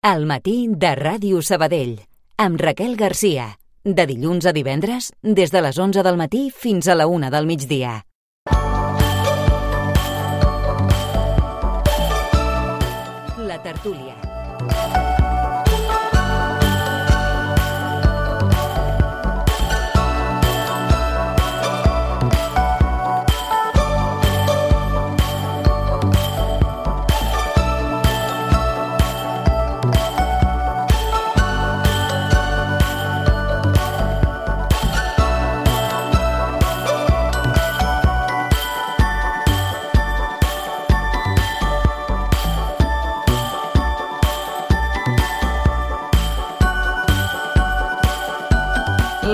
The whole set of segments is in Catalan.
Al matí de Ràdio Sabadell, amb Raquel Garcia. De dilluns a divendres, des de les 11 del matí fins a la 1 del migdia. La tertúlia.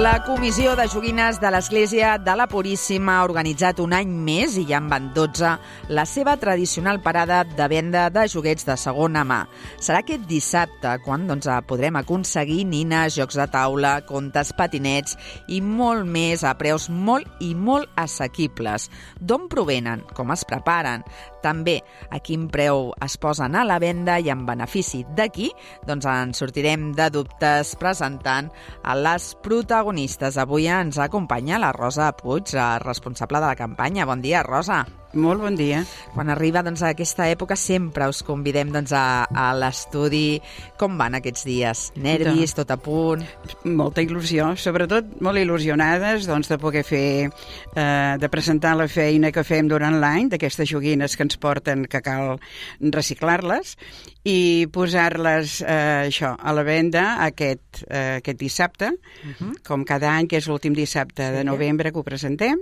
La Comissió de Joguines de l'Església de la Puríssima ha organitzat un any més, i ja en van 12, la seva tradicional parada de venda de joguets de segona mà. Serà aquest dissabte quan podrem aconseguir nines, jocs de taula, contes, patinets i molt més a preus molt i molt assequibles. D'on provenen? Com es preparen? També a quin preu es posen a la venda i en benefici d'aquí, ens sortirem de dubtes presentant a les protagonistes. Avui ens acompanya la Rosa Puig, responsable de la campanya. Bon dia, Rosa. Molt bon dia. Quan arriba aquesta època sempre us convidem a l'estudi. Com van aquests dies? Nervis, tot a punt? Molta il·lusió, sobretot molt il·lusionades de poder fer, de presentar la feina que fem durant l'any, d'aquestes joguines que ens porten, que cal reciclar-les, i posar-les a la venda aquest dissabte, com cada any, que és l'últim dissabte de novembre que ho presentem.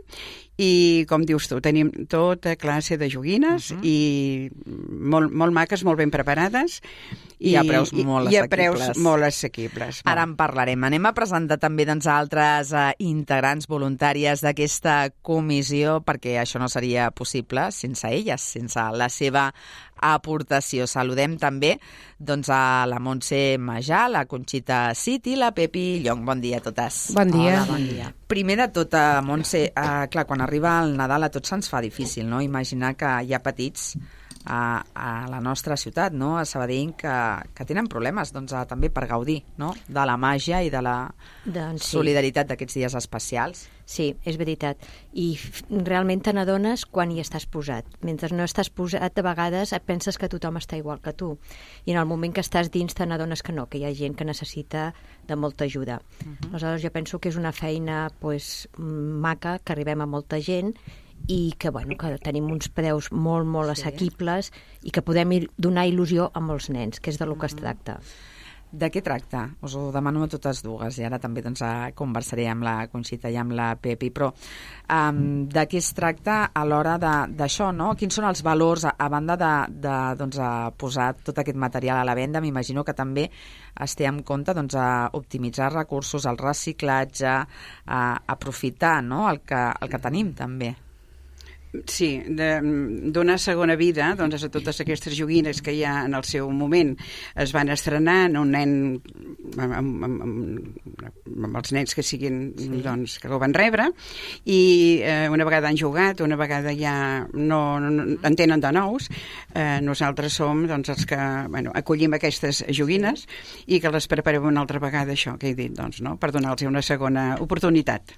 I, com dius tu, tenim tota classe de joguines i molt maques, molt ben preparades i a preus molt assequibles. I a preus molt assequibles. Ara en parlarem. Anem a presentar també altres integrants voluntàries d'aquesta comissió, perquè això no seria possible sense elles, sense la seva aportació. Saludem també a la Montse Majà, la Conxita City, la Pepi Llong. Bon dia a totes. Bon dia. Hola, bon dia. Primer de tot, Montse, clar, quan arriba el Nadal a tots se'ns fa difícil, no? Imaginar que hi ha petits a la nostra ciutat, no? A Sabadell, que tenen problemes també per gaudir, no? De la màgia i de la solidaritat d'aquests dies especials. Sí, és veritat. I realment te n'adones quan hi estàs posat. Mentre no estàs posat, de vegades et penses que tothom està igual que tu. I en el moment que estàs dins te n'adones que no, que hi ha gent que necessita de molta ajuda. Aleshores jo penso que és una feina maca, que arribem a molta gent i que tenim uns preus molt assequibles i que podem donar il·lusió a molts nens, que és de lo que es tracta. De què tracta? Us ho demano a totes dues i ara també conversaré amb la Conxita i amb la Pepi, però de què es tracta a l'hora d'això, no? Quins són els valors a banda de posar tot aquest material a la venda? M'imagino que també es té en compte a optimitzar recursos, el reciclatge, aprofitar, no? el que tenim també. Sí, donar segona vida a totes aquestes joguines que ja en el seu moment es van estrenar en un nen amb els nens que siguin que ho van rebre, i una vegada han jugat, una vegada ja no en tenen de nous, nosaltres som els que acollim aquestes joguines i que les preparem una altra vegada, això que he dit, per donar-los una segona oportunitat.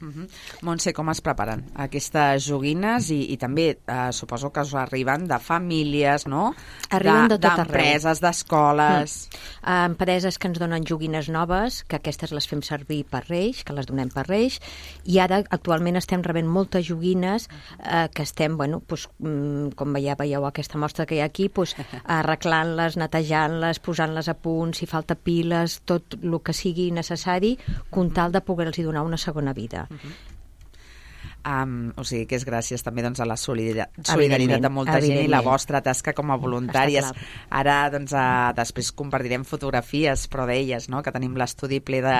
Montse, com es preparen aquestes joguines i també suposo que us arriben de famílies, no? Arriben de tot arreu. D'empreses, d'escoles. Empreses que ens donen joguines noves, que aquestes les fem servir per Reis, que les donem per Reis, i ara actualment estem rebent moltes joguines que estem, com veieu aquesta mostra que hi ha aquí, arreglant-les, netejant-les, posant-les a punt, si falta piles, tot el que sigui necessari, con tal de poder-los donar una segona vida. O sigui que és gràcies també a la solidaritat de molta gent i la vostra tasca com a voluntàries. Ara després compartirem fotografies, però d'elles, no? Que tenim l'estudi ple de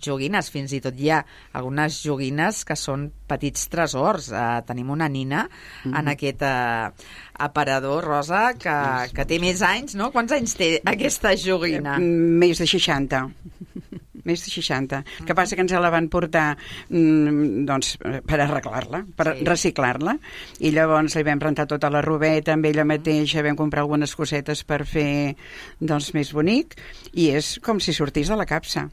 joguines, fins i tot hi ha algunes joguines que són petits tresors. Tenim una nina en aquest aparador, Rosa, que té més anys, no? Quants anys té aquesta joguina? Més de 60. més de 60. El que passa que ens la van portar doncs, per arreglar-la, per reciclar-la, i llavors li vam rentar tota la robeta amb ella mateixa, vam comprar algunes cosetes per fer doncs, més bonic, i és com si sortís de la capsa.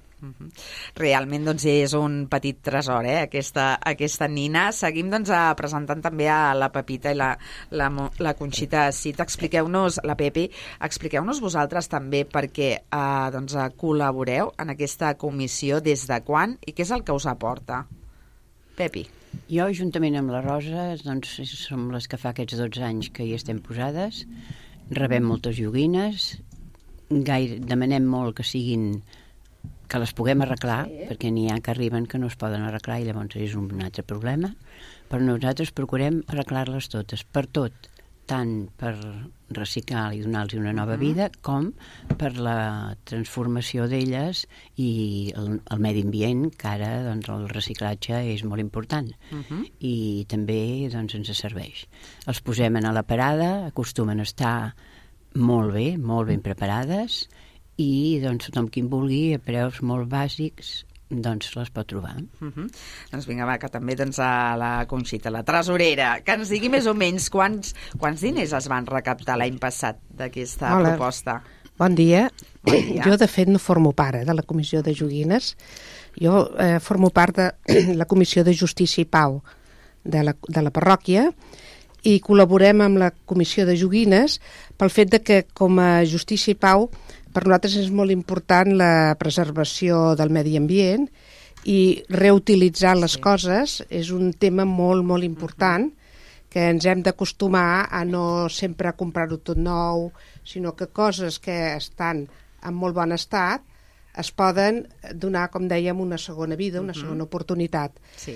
Realment doncs, és un petit tresor, aquesta nina. Seguim doncs, presentant també a la Pepita i la Conxita Cid. Expliqueu-nos, la Pepi, expliqueu-nos vosaltres també perquè doncs, col·laboreu en aquesta comissió, des de quan i què és el que us aporta. Pepi. Jo, juntament amb la Rosa, doncs, som les que fa aquests 12 anys que hi estem posades. Rebem moltes joguines, demanem molt que siguin que les puguem arreglar, perquè n'hi ha que arriben que no es poden arreglar i llavors és un altre problema, però nosaltres procurem arreglar-les totes, per tot, tant per reciclar i donar-los una nova vida, com per la transformació d'elles i el medi ambient, que ara doncs, el reciclatge és molt important i també doncs, ens serveix. Els posem a la parada, acostumen a estar molt ben preparades, i doncs, tothom qui en vulgui, a preus molt bàsics, doncs les pot trobar. Doncs vinga, va, que també doncs, a la Conxita, la tresorera, que ens digui més o menys quants diners es van recaptar l'any passat d'aquesta proposta. Bon dia. Jo, de fet, no formo part de la Comissió de Joguines. Jo formo part de la Comissió de Justícia i Pau de la parròquia, i col·laborem amb la Comissió de Joguines pel fet de que, com a Justícia i Pau, per nosaltres és molt important la preservació del medi ambient i reutilitzar les coses és un tema molt, molt important, que ens hem d'acostumar a no sempre comprar-ho tot nou, sinó que coses que estan en molt bon estat es poden donar, com dèiem, una segona vida, una segona oportunitat. Sí.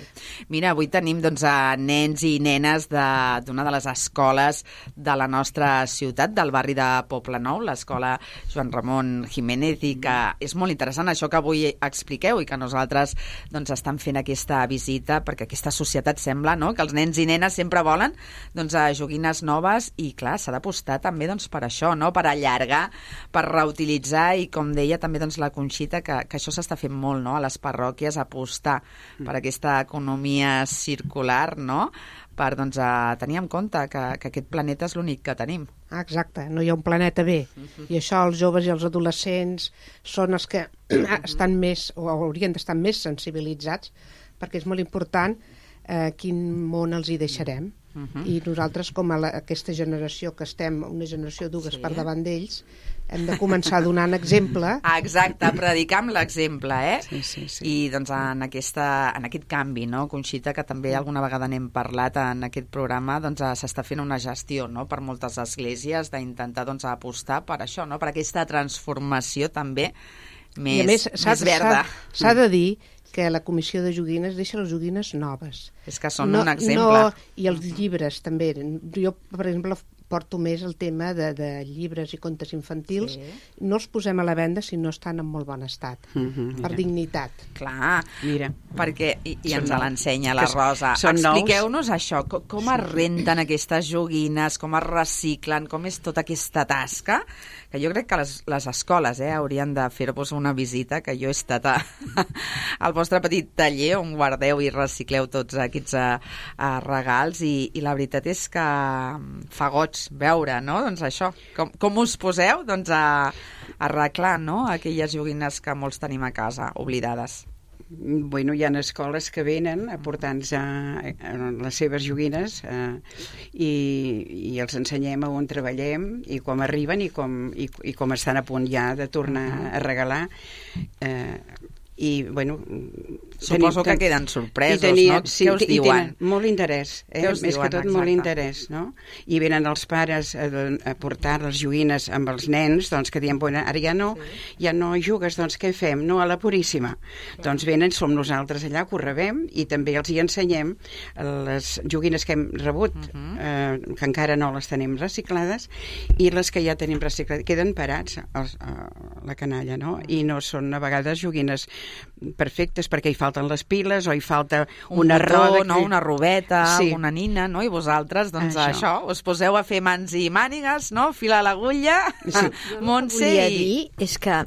Mira, avui tenim doncs, nens i nenes d'una de les escoles de la nostra ciutat, del barri de Poblenou, l'escola Joan Ramon Jiménez, i que és molt interessant això que avui expliqueu i que nosaltres doncs, estan fent aquesta visita, perquè aquesta societat sembla, no?, que els nens i nenes sempre volen doncs, joguines noves i, clar, s'ha d'apostar també doncs, per això, no?, per allargar, per reutilitzar i, com deia també doncs, la Conxita, que això s'està fent molt, no?, a les parròquies, apostar per aquesta economia circular, no?, per doncs, tenir en compte que aquest planeta és l'únic que tenim. Exacte, no hi ha un planeta B. I això els joves i els adolescents són els que estan més, o haurien d'estar més sensibilitzats, perquè és molt important quin món els hi deixarem. I nosaltres, com aquesta generació que estem, una generació dues per davant d'ells, hem de començar donant exemple. Exacte, predicar amb l'exemple, Sí. I doncs en aquest canvi, no, Conxita, que també alguna vegada n'hem parlat en aquest programa, doncs s'està fent una gestió, no, per moltes esglésies d'intentar doncs apostar per això, no, per aquesta transformació també més verda. S'ha de dir que la Comissió de Joguines deixa les joguines noves. És que són un exemple. I els llibres també. Jo, per exemple, porto més el tema de llibres i contes infantils. No els posem a la venda si no estan en molt bon estat, per dignitat. Clar, mira, perquè, i ens l'ensenya la Rosa. Expliqueu-nos això, com es renten aquestes joguines, com es reciclen, com és tota aquesta tasca, que jo crec que les escoles haurien de fer-vos una visita, que jo he estat al vostre petit taller on guardeu i recicleu tots aquests regals, i la veritat és que fa goig veure, no? Doncs això, com us poseu doncs, a arreglar, no?, aquelles joguines que molts tenim a casa, oblidades. Bueno, hi ha escoles que venen a portar-nos les seves joguines i els ensenyem a on treballem i com arriben i com estan a punt ja de tornar a regalar. I, bueno... Suposo que queden sorpresos, no? Què us diuen? Molt interès, més que tot molt interès, no? I venen els pares a portar les joguines amb els nens, doncs que diuen, bueno, ara ja no jugues, doncs què fem? No, a la Puríssima. Doncs venen, som nosaltres allà, que ho rebem, i també els hi ensenyem les joguines que hem rebut, que encara no les tenim reciclades, i les que ja tenim reciclades, queden parats a la canalla, no? I no són a vegades joguines perfectes perquè hi falten les piles o hi falta una roda, no? Una robeta, una nina, no? I vosaltres, doncs això, us poseu a fer mans i mànigues, no? Filar l'agulla, Montse... Volia dir és que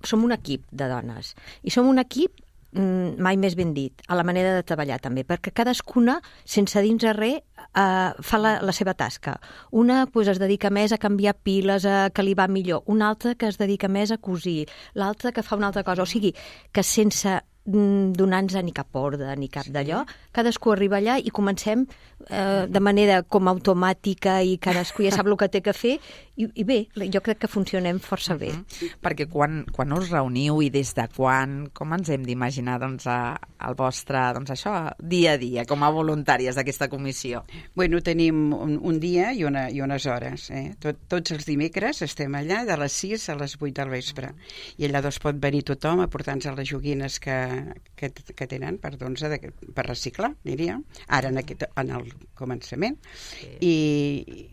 som un equip de dones. I som un equip, mai més ben dit, a la manera de treballar també, perquè cadascuna, sense dins de res, fa la seva tasca. Una es dedica més a canviar piles, a que li va millor. Una altra que es dedica més a cosir. L'altra que fa una altra cosa. O sigui, que sense donar-nos ni cap ordre ni cap d'allò, cadascú arriba allà i comencem de manera com automàtica i cadascú ja sap el que té que fer i bé, jo crec que funcionem força bé. Perquè quan us reuniu i des de quan, com ens hem d'imaginar el vostre dia a dia com a voluntàries d'aquesta comissió? Bueno, tenim un dia i unes hores. Tots els dimecres estem allà de les 6 a les 8 del vespre. I allà pot venir tothom a portar-nos les joguines que tenen per reciclar, diria, ara en el començament. I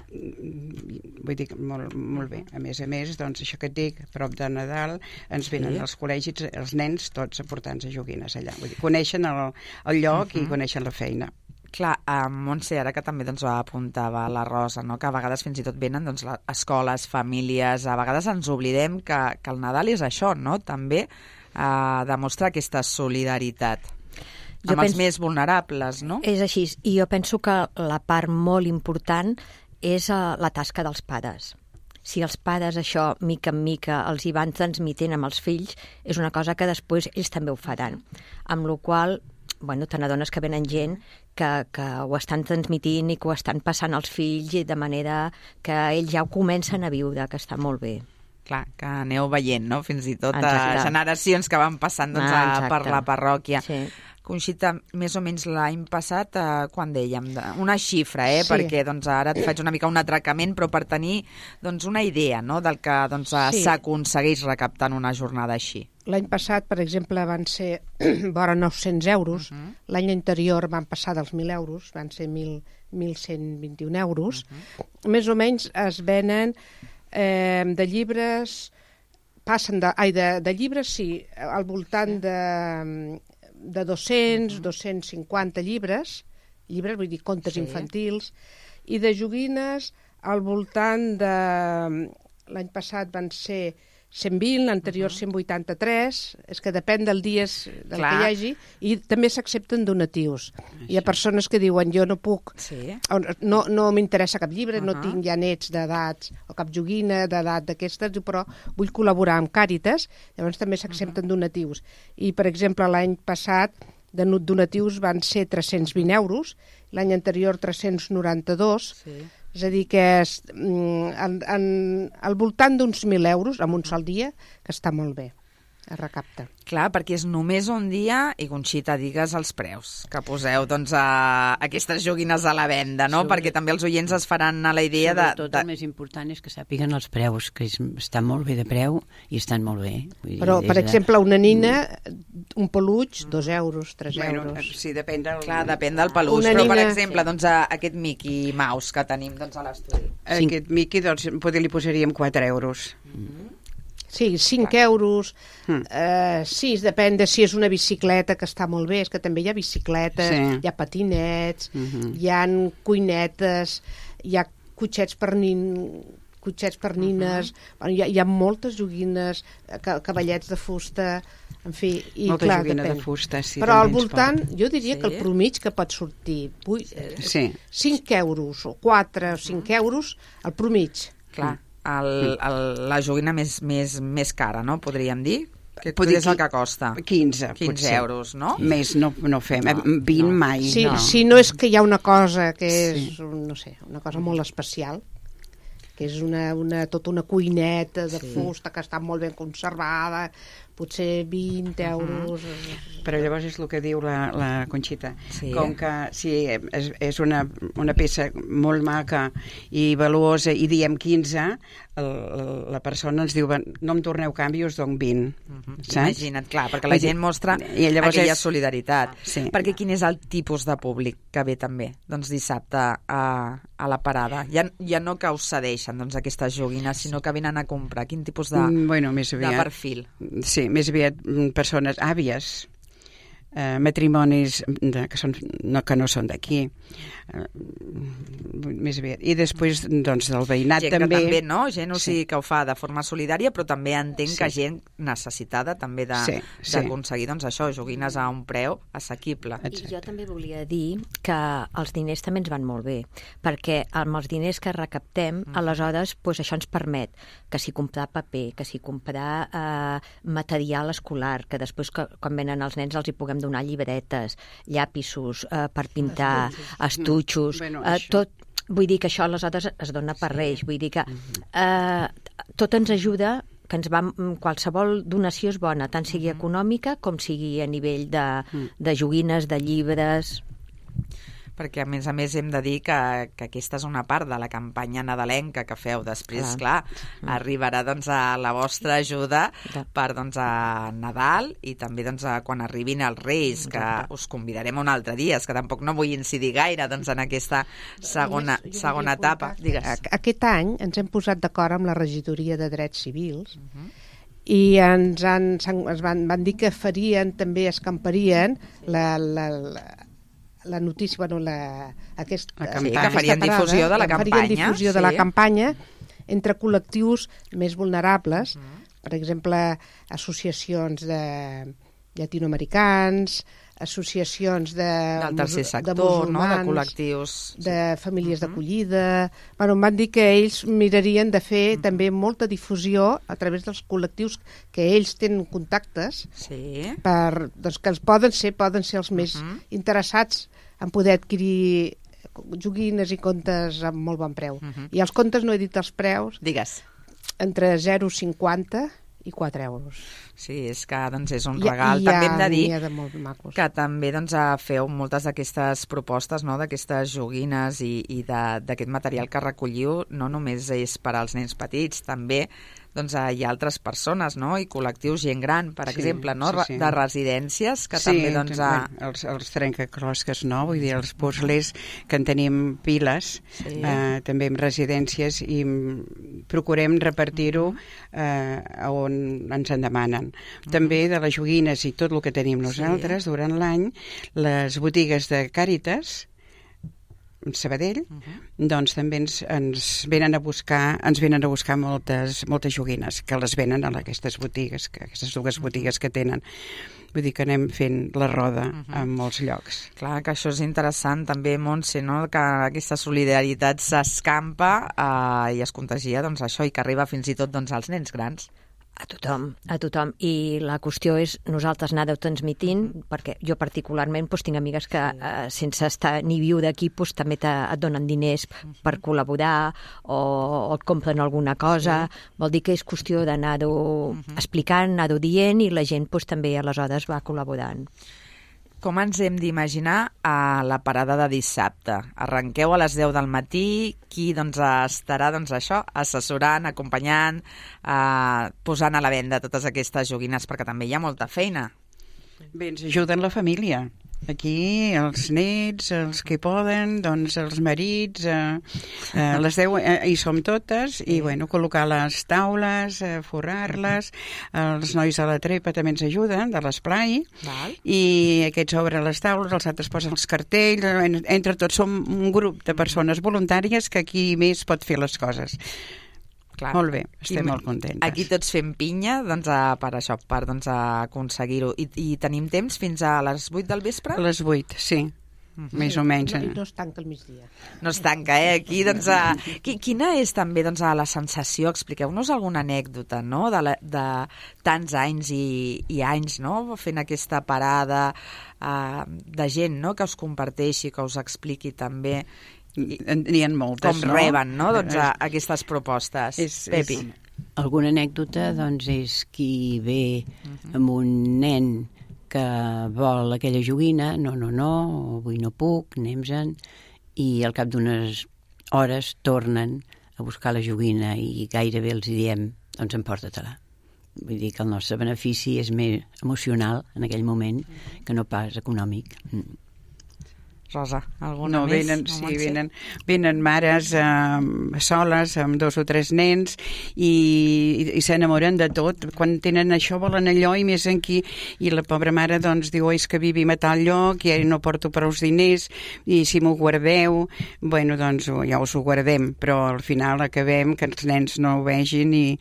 vull dir, molt bé. A més, doncs, això que et dic, a prop de Nadal, ens venen als col·legis, els nens, tots a portar-nos joguines allà. Vull dir, coneixen el lloc i coneixen la feina. Clar, Montse, ara que també apuntava la Rosa, no? Que a vegades fins i tot venen escoles, famílies, a vegades ens oblidem que el Nadal és això, no? També demostrar aquesta solidaritat amb els més vulnerables, no? És així, i jo penso que la part molt important és la tasca dels pares. Si els pares això, mica en mica, els hi van transmitent amb els fills, és una cosa que després ells també ho faran. Amb la qual cosa, te n'adones que venen gent que ho estan transmitint i que ho estan passant als fills de manera que ells ja ho comencen a viure, que està molt bé. Clar, que aneu veient, no? Fins i tot generacions que van passant per la parròquia. Sí. Conxita, més o menys l'any passat, quan dèiem, una xifra, Sí. Perquè ara et faig una mica un atracament, però per tenir una idea, no?, del que s'aconsegueix recaptant una jornada així. L'any passat, per exemple, van ser vora 900 euros. L'any anterior van passar dels 1.000 euros, van ser 1.121 euros. Més o menys es venen de llibres, de llibres, sí, al voltant de 200, 250 llibres, vull dir, contes infantils, i de joguines al voltant de... L'any passat van ser 120, l'anterior 183, és que depèn del dia del que hi hagi, i també s'accepten donatius. Hi ha persones que diuen, jo no puc, no m'interessa cap llibre, no tinc ja nets d'edats, o cap joguina d'edat d'aquestes, però vull col·laborar amb Càritas, llavors també s'accepten donatius. I, per exemple, l'any passat, de donatius van ser 320 euros, l'any anterior 392, és a dir, que al voltant d'uns 1.000 euros en un sol dia, que està molt bé, es recapta. Clar, perquè és només un dia, i Conxita, digues els preus que poseu aquestes joguines a la venda, no? Perquè també els oients es faran a la idea de... Sobretot el més important és que sàpiguen els preus, que està molt bé de preu i estan molt bé. Però, per exemple, una nina, un peluig, 2 euros, 3 euros. Sí, depèn del... Clar, depèn del peluig, però, per exemple, aquest Mickey Mouse que tenim a l'estudi. Aquest Mickey, doncs, potser li posaríem 4 euros. Sí, 5 euros, sí, depèn de si és una bicicleta, que està molt bé, és que també hi ha bicicletes, hi ha patinets, hi ha cuinetes, hi ha cotxets per nines, hi ha moltes joguines, cavallets de fusta, en fi, i molta clar, joguina depèn. De fusta, sí. Però al voltant, jo diria que el promig que pot sortir 5 euros o 4 o 5 euros, el promig. Clar. La joguina més cara, no? Podríem dir? Que és el que costa. 15 euros, no? Més no fem, 20 mai. Si no és que hi ha una cosa que és, no sé, una cosa molt especial, que és tota una cuineta de fusta que està molt ben conservada, potser 20 euros... Però llavors és el que diu la Conxita. Com que si és una peça molt maca i valuosa i diem 15, la persona ens diu, no em torneu canvi, us dono 20. Imagina't, clar, perquè la gent mostra aquella solidaritat. Perquè quin és el tipus de públic que ve també, doncs, dissabte a la parada? Ja no que us cedeixen aquestes joguines, sinó que venen a comprar. Quin tipus de perfil? Sí, més aviat persones àvies, matrimonis que no són d'aquí, més aviat. I després, doncs, del veïnat gent també... també, no? Gent, o sigui, que ho fa de forma solidària, però també entenc que gent necessitada també d'aconseguir, doncs, això, joguines a un preu assequible. I jo també volia dir que els diners també ens van molt bé, perquè amb els diners que recaptem, aleshores, doncs això ens permet que si comprar paper, que si comprar material escolar, que després, quan venen els nens, els hi puguem donar llibretes, llapisos per pintar, estuixos, tot. Vull dir que això aleshores es dona per Reis. Vull dir que tot ens ajuda, que ens va, qualsevol donació és bona, tant sigui econòmica com sigui a nivell de joguines, de llibres... Perquè, a més, hem de dir que aquesta és una part de la campanya nadalenca que feu. Després, clar, arribarà doncs, a la vostra ajuda per doncs, a Nadal i també doncs, quan arribin els Reis, que us convidarem un altre dia. És que tampoc no vull incidir gaire doncs, en aquesta segona etapa. Digues. Aquest any ens hem posat d'acord amb la Regidoria de Drets Civils i ens van dir que farien, també escamparien la notícia, que farien difusió de la campanya. Farien difusió de la campanya entre col·lectius més vulnerables, per exemple, associacions de llatinoamericans, associacions del tercer sector, no? De col·lectius... de famílies d'acollida... Bueno, em van dir que ells mirarien de fer també molta difusió a través dels col·lectius que ells tenen contactes, doncs, que poden ser els més interessats en poder adquirir joguines i contes amb molt bon preu. I els contes no he dit els preus. Digues. Entre 0,50 i 4 euros. Sí, és que doncs, és un regal. També hem de dir que també doncs, feu moltes d'aquestes propostes, no? D'aquestes joguines i d'aquest material que recolliu, no només és per als nens petits, també doncs, hi ha altres persones, no? I col·lectius, gent gran, per exemple, no? De residències, que també... Doncs, els trencaclosques, no? Vull dir, els puzzles, que en tenim piles, també en residències, i procurem repartir-ho on ens en demanen. També de les joguines i tot el que tenim nosaltres, durant l'any, les botigues de Càritas, Sabadell, doncs també ens venen a buscar moltes joguines que les venen a aquestes botigues, aquestes dues botigues que tenen. Vull dir que anem fent la roda en molts llocs. Clar, que això és interessant també, Montse, no? Que aquesta solidaritat s'escampa i es contagia, doncs això, i que arriba fins i tot doncs, als nens grans. A tothom. I la qüestió és nosaltres anar-ho transmitint, perquè jo particularment tinc amigues que sense estar ni viu d'aquí també et donen diners per col·laborar o et compren alguna cosa. Vol dir que és qüestió d'anar-ho explicant, anar-ho dient, i la gent també aleshores va col·laborant. Com ens hem d'imaginar a la parada de dissabte? Arrenqueu a les 10 del matí, qui doncs, estarà això assessorant, acompanyant, posant a la venda totes aquestes joguines, perquè també hi ha molta feina. Bé, ens ajuden la família. Aquí els nets, els que poden, doncs els marits, les 10 hi som totes, i bueno, col·locar les taules, forrar-les, els nois a la trepa també ens ajuden, de l'esplai, i aquests obren les taules, els altres posen els cartells, entre tots som un grup de persones voluntàries que aquí més pot fer les coses. Clar. Molt bé, estem molt contentes. Aquí tots fem pinya doncs, per això, per doncs, aconseguir-ho. I tenim temps fins a les 8 del vespre? A les 8, sí. Més o menys. No es tanca el migdia. No es tanca, Aquí, doncs... Quina és també doncs, la sensació? Expliqueu-nos alguna anècdota, no?, de tants anys i anys, no?, fent aquesta parada de gent, no?, que us comparteixi, que us expliqui també... N'hi ha moltes, com reben, no?, doncs, aquestes propostes. Pepi. Alguna anècdota, doncs, és qui ve amb un nen que vol aquella joguina, no, avui no puc, anem-se'n, i al cap d'unes hores tornen a buscar la joguina i gairebé els diem, doncs emporta-te-la. Vull dir que el nostre benefici és més emocional en aquell moment que no pas econòmic. Rosa, alguna no, més? Venen mares soles amb 2 o 3 nens i s'enamoren de tot. Quan tenen això volen allò i més aquí. I la pobra mare doncs diu, és que vivim a tal lloc i no porto prou diners i si m'ho guardeu, bueno, doncs ja us ho guardem, però al final acabem que els nens no ho vegin i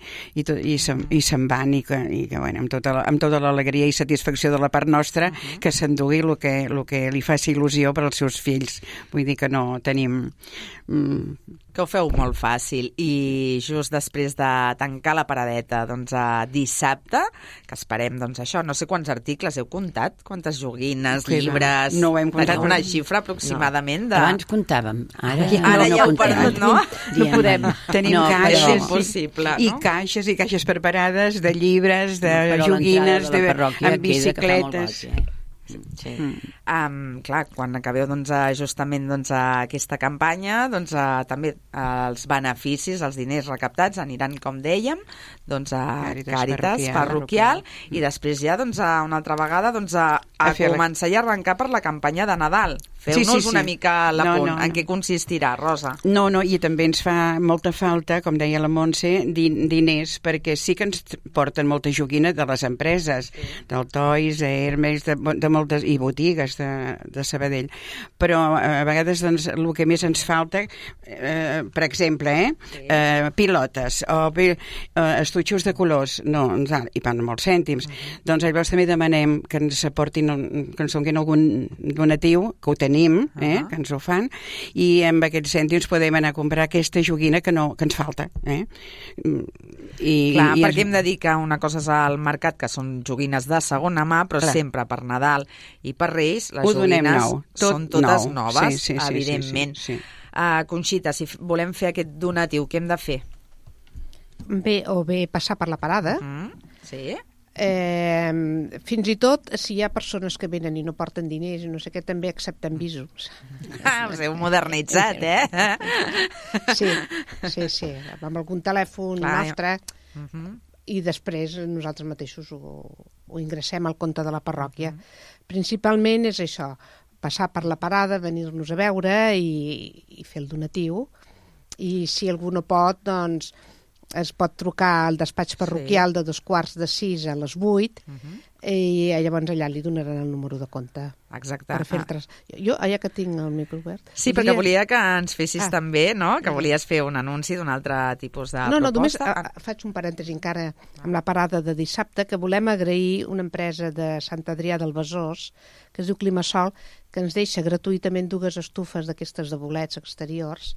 se'n van i que bueno, amb tota l'alegria i satisfacció de la part nostra que s'endugui el que li faci il·lusió per als seus fills. Vull dir que no tenim... Que ho feu molt fàcil. I just després de tancar la paradeta, doncs dissabte, que esperem, doncs això, no sé quants articles heu comptat, quantes joguines, llibres... No ho hem comptat. Una xifra aproximadament de... Abans comptàvem, ara ja ho perdut, no? No podem. Tenim caixes, però... impossible, no? I caixes preparades de llibres, de joguines, amb bicicletes... Sí. Clar, quan acabeu doncs, justament doncs, aquesta campanya, doncs, també els beneficis, els diners recaptats aniran, com dèiem, doncs, a Càritas parroquial i després ja doncs, una altra vegada doncs, a començar i arrencar per la campanya de Nadal. Feu-nos una mica l'apunt. En què consistirà, Rosa? No, i també ens fa molta falta, com deia la Montse, diners, perquè sí que ens porten molta joguina de les empreses, del Toys, Hermes, de moltes, i botigues de Sabadell. Però a vegades doncs, el que més ens falta, per exemple, pilotes o estuixos de colors, no, i van molts cèntims. Doncs llavors també demanem que ens aportin, que ens donguin algun donatiu, que ho tenim, que ens ho fan, i amb aquests cèntims podem anar a comprar aquesta joguina que ens falta. Perquè hem de dir que una cosa és al mercat, que són joguines de segona mà, però sempre per Nadal i per Reis, les joguines són totes noves, evidentment. Conxita, si volem fer aquest donatiu, què hem de fer? Bé passar per la parada. Sí. Fins i tot si hi ha persones que venen i no porten diners i no sé què, també accepten visos. Us heu modernitzat, Sí, amb algun telèfon nostre i després nosaltres mateixos ho ingressem al compte de la parròquia. Principalment és això, passar per la parada, venir-nos a veure i fer el donatiu, i si algú no pot, doncs es pot trucar al despatx parroquial de 5:45 a les 8 i llavors allà li donaran el número de compte. Exacte. Per fer jo, ja que tinc el micro obert... Sí, perquè volia que ens fessis també, no?, que volies fer un anunci d'un altre tipus de proposta. No, només faig un parèntesi encara amb la parada de dissabte, que volem agrair una empresa de Sant Adrià del Besòs, que es diu Climasol, que ens deixa gratuïtament 2 estufes d'aquestes de bolets exteriors,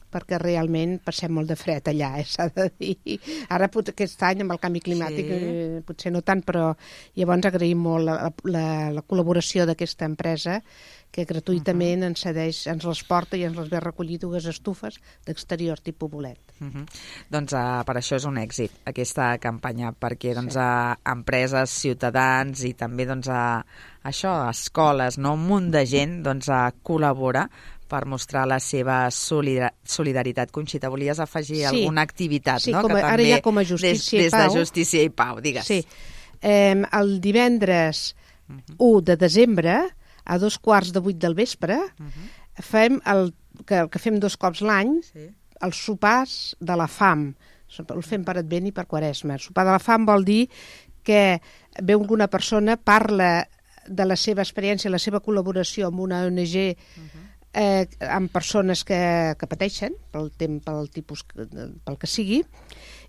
perquè realment passem molt de fred allà, s'ha de dir. Ara, aquest any, amb el canvi climàtic, potser no tant, però llavors agraïm molt la col·laboració d'aquesta empresa, que gratuïtament ens les porta i ens les ve recollir 2 estufes d'exterior tipus bolet. Doncs per això és un èxit, aquesta campanya, perquè empreses, ciutadans i també escoles, un munt de gent col·labora per mostrar la seva solidaritat. Conxita, volies afegir alguna activitat, no? Sí, ara ja com a Justícia i Pau. Des de Justícia i Pau, digues. Sí. El divendres 1 de desembre, a 7:15 del vespre, fem el que fem 2 cops l'any, els sopars de la fam. El fem per Advent i per Quaresma. El sopar de la fam vol dir que ve alguna persona, parla de la seva experiència, la seva col·laboració amb una ONG amb persones que pateixen pel tipus, pel que sigui,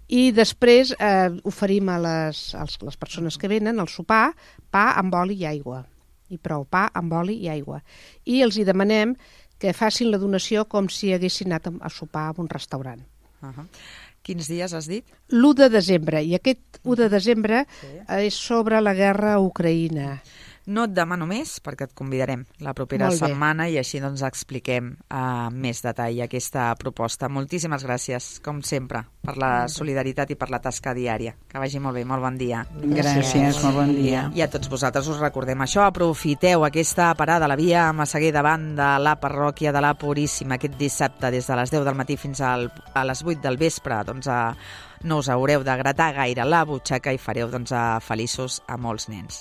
i després oferim a les persones que venen el sopar, pa amb oli i aigua, i prou, pa amb oli i aigua, i els hi demanem que facin la donació com si haguessin anat a sopar a un restaurant. Quins dies has dit? L'1 de desembre, i aquest 1 de desembre és sobre la guerra a Ucraïna. No et demano més, perquè et convidarem la propera setmana i així expliquem més detall aquesta proposta. Moltíssimes gràcies, com sempre, per la solidaritat i per la tasca diària. Que vagi molt bé, molt bon dia. Gràcies, molt bon dia. I a tots vosaltres us recordem això, aprofiteu aquesta parada a la via a Massaguer davant de la parròquia de la Puríssima aquest dissabte des de les 10 del matí fins a les 8 del vespre. No us haureu de gratar gaire la butxaca i fareu feliços a molts nens.